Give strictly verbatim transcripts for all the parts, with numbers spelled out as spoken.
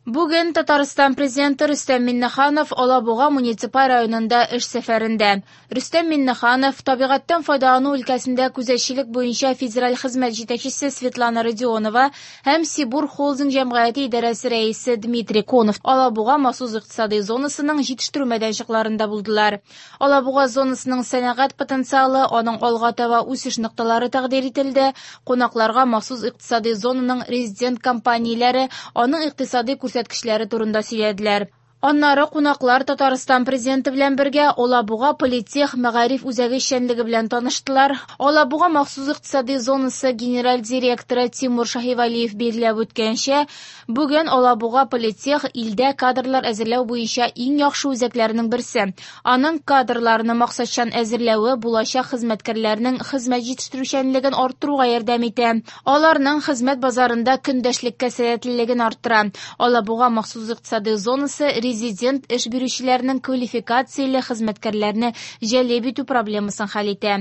Бүген Татарстан президенты Рөстәм Миңнеханов Алабуга муниципаль районында эш сәфәрендә. Рөстәм Миңнеханов табигатьтән файдалану өлкәсендә күзәтчелек буенча федераль хезмәт җитәкчесе Светлана Родионова һәм Сибур Холдинг җәмгыяте идарәсе рәисе Дмитрий Конов Алабуга махсус икътисади зонасының җитештерү мәйданчыкларында булдылар. Алабуга зонасының сәнәгать потенциалы, аның алга таба үсеш нокталары тәкъдир ителде. Кунакларга махсус икътисади зонаның резидент компанияләре, аның икътисади күрсәткечләре турында сөйләделәр. Аннары кунаклар Татарстан президенты белән бергә Алабуга политех мәгариф үзәге эшчәнлеге белән таныштылар. Алабуга махсус икътисади зонасы генераль директоры Тимур Шаһивәлиев билгеләп үткәнчә, бүген Алабуга политех илдә кадрлар әзерләү буенча иң яхшы үзәкләрнең берсе. Аның кадрларны максатчан әзерләве булачак хезмәткәрләрнең хезмәт җитештерүчәнлеген арттыруга ярдәм итә. Аларның хезмәт базарында көндәшлеккә сәләтлелеген арттыра. Алабуга махсус икътисади зонасы резидент эш бирүчеләрнең квалификацияле хезмәткәрләрне җәлеп итү проблемасын хәл итә.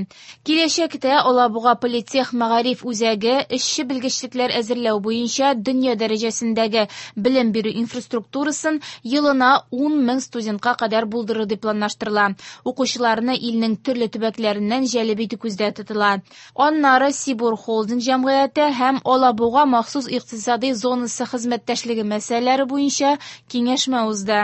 Киләчәктә Алабуга политех мәгариф үзәге эшче белгечлекләр әзерләү буенча дөнья дәрәҗәсендәге белем бирү инфраструктурасын елына ун мең студентка кадәр булдыру дип планлаштырыла. Укучыларны илнең төрле төбәкләреннән җәлеп итү күздә тотыла. Аннары Сибур Холдинг җәмгыяте һәм Алабуга махсус икътисади зонасы хезмәттәшлеге мәсьәләләре буенча киңәшмә узды.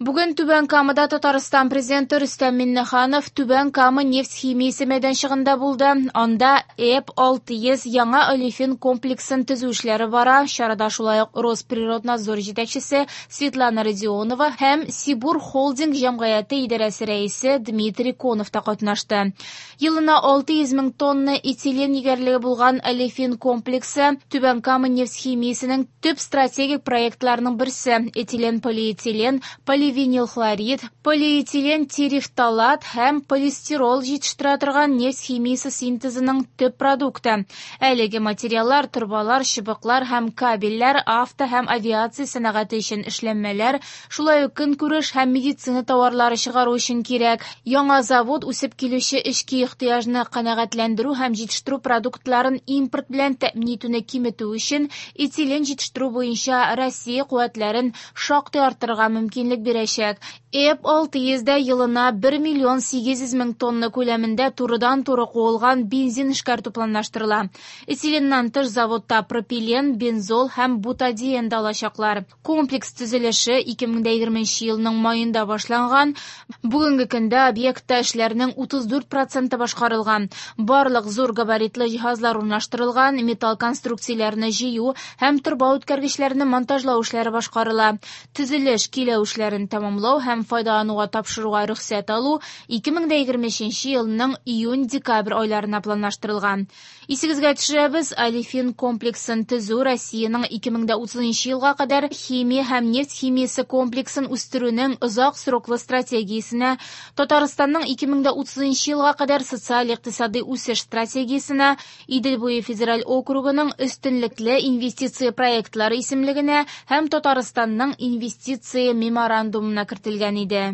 Бүген Түбән Камада Татарстан президенты Рөстәм Миңнеханов Түбән Кама нефть химиясе мәйданчыгында булды. Анда Э П алты йөз яңа олефин комплексын төзү эшләре бара. Чарада шулай ук Росприроднадзор җитәкчесе Светлана Родионова һәм Сибур Холдинг җәмгыяте идарәсе рәисе Дмитрий Конов та катнашты. Елына алты йөз мең тонна этилен егәрлеге булган олефин комплексы Түбән Кама нефть химиясенең төп стратегик проектларының берсе. Этилен, полиэтилен, поливинил хлорид, полиэтилен терефталат һәм полистирол җитештерә торган нефть химиясе синтезының төп продукты. Әлеге материаллар торбалар, чыбыклар һәм кабельләр, авто һәм авиация сәнәгате өчен эшләнмәләр, шулай ук көнкүреш һәм медицина товарлары чыгару өчен кирәк. Яңа завод үсеп килүче эчке ихтыяҗны канәгатьләндерү һәм җитештерү продуктларын импорт белән тәэмин итүне киметү өчен этилен җитештерү буенча Россия куәтләрен шактый арттырырга мөмкинлек бирәчәк. Э П алты йөздә елына бер миллион сигез йөз мең тонна күләмендә турыдан-туры куылган бензин эшкәртү планлаштырыла. Этиленнан тыш заводта пропилен, бензол һәм бутадиен да алачаклар. Комплекс төзелеше ике мең дә егерменче елның маенда башланган. Бүгенге көндә объектта эшләрнең утыз дүрт проценты башкарылган. Барлык зур габаритлы җиһазлар урнаштырылган, металл конструкцияләрне җыю һәм торба үткәргечләрне монтажлау эшләре башкарыла. Төзелеш киләү эшләрен тәмамлау һәм файдалануга тапшыруга рөхсәт алу ике мең дә егерме өченче елның июнь-декабрь айларына планлаштырылган. Исегезгә төшерәбез, олефин комплексын төзү Россиянең ике мең дә утызынчы елга кадәр химия һәм нефть химиясе комплексын үстерүнең озак сроклы стратегиясенә, Татарстанның ике мең дә утызынчы елга кадәр социаль-икътисади үсеш стратегиясенә, Идел буе федераль округының өстенлекле инвестиция проектлары исемлегенә һәм Татарстанның инвестиция меморандумына кертелгән иде.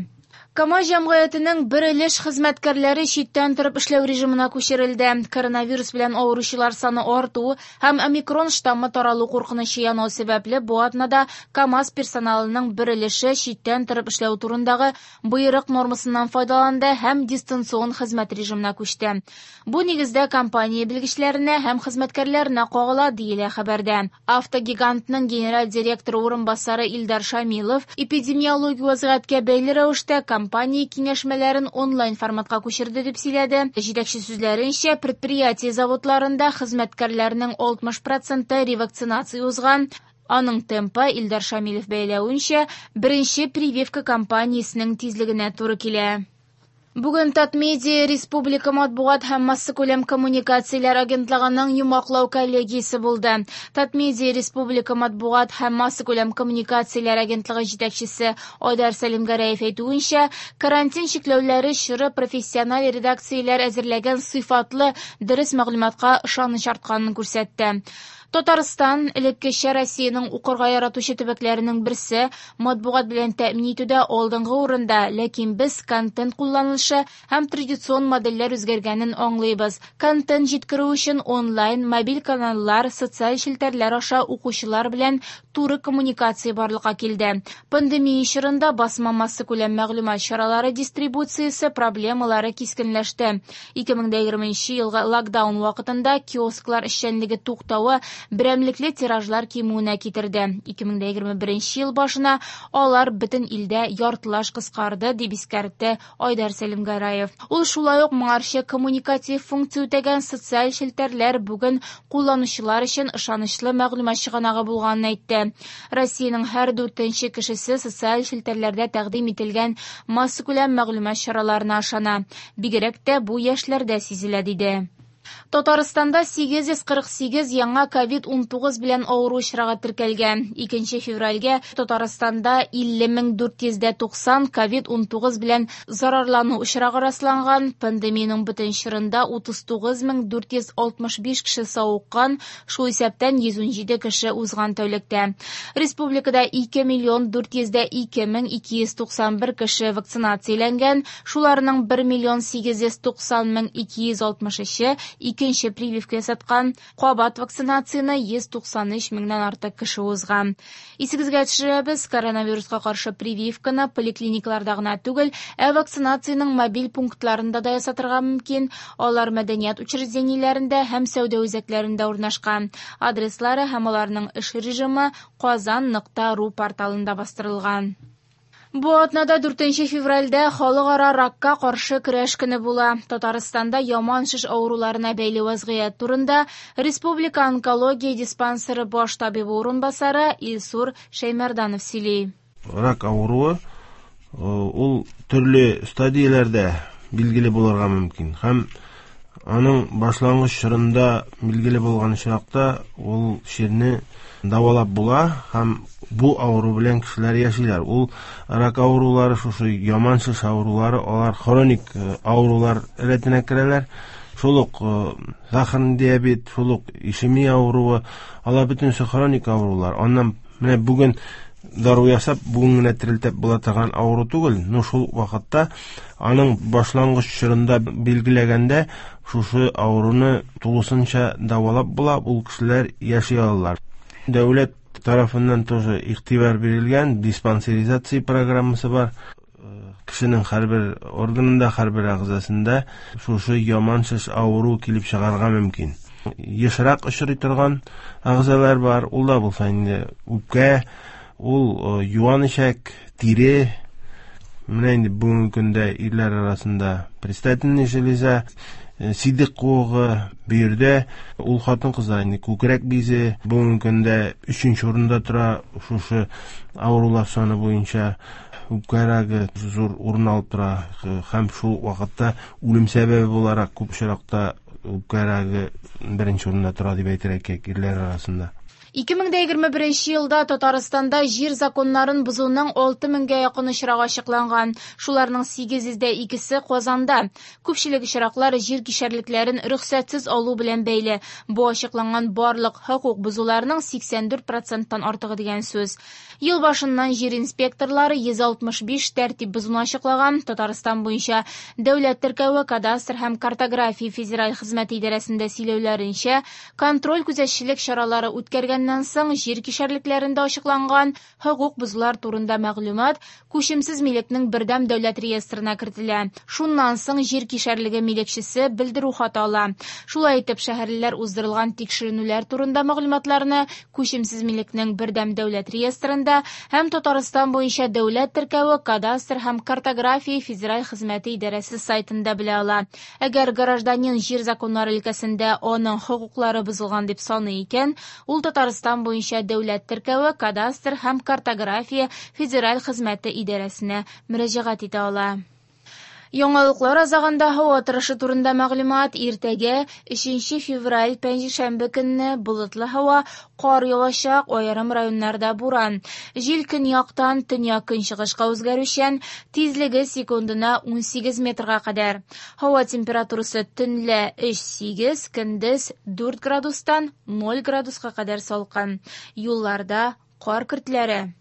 КАМАЗ җәмгыятенең бер өлеш хезмәткәрләре читтән торып эшләү режимына күчерелде. Коронавирус белән авыручылар саны арту һәм омикрон штаммы таралу куркынычы янау сәбәпле бу атнада КАМАЗ персоналының бер өлеше читтән торып эшләү турындагы боерык нормасыннан файдаланды һәм дистанцион хезмәт режимына күчте. Бу нигездә компания белгечләренә һәм хезмәткәрләренә кагыла, диелә хәбәрдә. Автогигантның генераль директоры урынбасары Илдар Шамилов эпидемиологик вазгыятькә бәйле рәвештә компания киңәшмәләрен онлайн форматка күчерде дип сөйләде. Җитәкче сүзләренчә, предприятие заводларында хезмәткәрләрнең алтмыш проценты ревакцинация узган. Аның темпы, Илдар Шамилов бәяләвенчә, беренче прививка кампаниясенең тизлегенә туры килә. Бүген Татмедиа Республика матбугат һәм массакүләм коммуникацияләр агентлыгының йомгаклау коллегиясе булды. Татмедиа Республика матбугат һәм массакүләм коммуникацияләр агентлыгы җитәкчесе Айдар Сәлимгәрәев әйтүенчә, карантин чикләүләре чоры профессиональ редакцияләр әзерләгән сыйфатлы, дөрес мәгълүматка ышаныч артканын күрсәтте. Татарстан элеккечә Россиянең укырга яратучы төбәкләренең берсе, матбугат белән тәэмин итүдә алдынгы урында, ләкин без контент кулланылышы һәм традицион модельләр үзгәргәнен аңлыйбыз. Контент җиткерү өчен онлайн, мобиль каналлар, социаль челтәрләр аша укучылар белән туры коммуникация барлыкка килде. Пандемия чорында басма массакүләм мәгълүмат чаралары дистрибуциясе проблемалары кискенләште. ике мең егерменче елгы локдаун вакытында киосклар эшчәнлеге туктавы берәмлекле тиражлар кимүенә китерде. ике мең егерме беренче ел башына алар бөтен илдә яртылаш кыскарды, дип искәртте Айдар Сәлимгәрәев. Ул шулай ук моңарчы коммуникатив функция үтәгән социаль челтәрләр бүген кулланучылар өчен ышанычлы мәгълүмат чыганагы булганын әйтте. Россиянең һәр дүртенче кешесе социаль челтәрләрдә тәкъдим ителгән массакүләм мәгълүмат чараларына ышана. Бигрәк тә бу яшьләрдә сизелә, диде. Татарстанда сигез йөз кырык сигез яңа ковид унтугыз белән авыру очрагы теркәлгән. Икенче февральгә Татарстанда илле мең дүрт йөз дә туксан ковид унтугыз белән зарарлану очрагы расланган. Пандемиянең бөтен чорында утыз тугыз мең дүрт йөз алтмыш биш кеше савыккан, шул исәптән йөз унҗиде кеше узган тәүлектә. Республикада ике миллион дүрт йөз дә ике мең ике йөз туксан бер кеше вакцинацияләнгән, шуларның бер миллион сигез йөз туксан мең ике йөз алтмыш өче икенче прививка ясаткан, кабат вакцинацияне йөз туксан өч меңнән артык кеше узган. Исегезгә төшерәбез, коронавируска каршы прививканы поликлиникаларда гына түгел, ә вакцинациянең мобиль пунктларында да ясатырга мөмкин. Алар мәдәният учреждениеләрендә һәм сәүдә үзәкләрендә урнашкан. Адреслары һәм аларның эш режимы казан нокта ру порталында бастырылган. Бу атнада дүртенче февральдә халыкара ракка каршы көрәш көне була. Татарстанда яман шеш авыруларына бәйле вазгыять турында Республика онкология диспансеры баш табибы урынбасары Илсур Шәймәрданов сөйли. Рак авыруы ул төрле стадияләрдә билгеле булырга мөмкин. Һәм аның башлангыч чорында билгеле булган очракта ул чирне дәвалап була һәм бу авыру белән кешеләр яшиләр. Ул рак авырулары, шушы яман шеш авырулары, алар хроник авырулар рәтенә керәләр. Шул ук сахарный диабет, шул ук ишемия авыруы, алар бөтенесе хроник авырулар. Аннан менә бүген дару ясап, бүген генә терелтеп була торган авыру түгел. Но шул вакытта аның башлангыч чорында билгеләгәндә шушы авыруны тулысынча дәвалап була, ул кешеләр яши алалар. Дәүләт тарафыннан тоже игътибар бирелгән диспансеризация программасы бар. Кешенең һәрбер органында, һәрбер әгъзасында шушы яман шеш авыру килеп чыгарга мөмкин. Ешрак очрый торган әгъзалар бар, ул да булса инде үпкә, ул юан эчәк, тире. Менә инде бүгенге көндә ирләр арасында предстательный железа, сидек куыгы, бөердә, ул хатын-кызлар инде күкрәк бизе бүгенге көндә өченче урында тора шушы авырулар саны буенча. Үпкә рагы зур урын алып тора һәм шул вакытта үлем сәбәбе буларак күп очракта үпкә рагы беренче урында тора дип әйтергә кирәк ирләр арасында. Ике мең дә егерме беренче елда Татарстанда җир законнарын бозуның алты меңгә якын очрагы ачыкланган. Шуларның сигез йөз дә икесе Казанда. Күпчелек очраклар җир кишәрлекләрен рөхсәтсез алу белән бәйле. Бу ачыкланган барлык хокук бозуларның сиксән дүрт проценттан артыгы дигән сүз. Ел башыннан җир инспекторлары йөз алтмыш биш тәртип бозуны ачыклаган. Татарстан буенча дәүләт теркәве, кадастр һәм картография федераль хезмәте идарәсендә сөйләүләренчә, контроль күзәтчелек чаралары үткәргән соң җир кишәрлекләрендә ачыкланган хокук бозулар турында мәгълүмат күчемсез милекнең бердәм дәүләт реестрына кертелә. Шуннан соң җир кишәрлеге милекчесе белдерү хаты ала. Шулай итеп, шәһәрлеләр уздырылган тикшеренүләр турында мәгълүматларны күчемсез милекнең бердәм дәүләт реестрында һәм Татарстан буенча дәүләт теркәве, кадастр һәм картография федераль хезмәте идарәсе сайтында белә ала. Әгәр гражданин җир законнары өлкәсендә аның хокуклары бозылган дип саный икән, ул Татарстан буенча дәүләт теркәве, кадастр һәм картография федераль хезмәте идарәсенә мөрәҗәгать итә ала. Яңалыклар азагында һава торышы турында мәгълүмат. Иртәгә өченче февраль пәнҗешәмбе көнне болытлы һава, кар явачак, аерым районнарда буран. Җил көньяктан төньяк-көнчыгышка үзгәрүчән, тизлеге секундына унсигез метрга кадәр. Һава температурасы төнлә өч-сигез, көндез дүрт градустан ноль градуска кадәр салкын. Юлларда кар көртләре.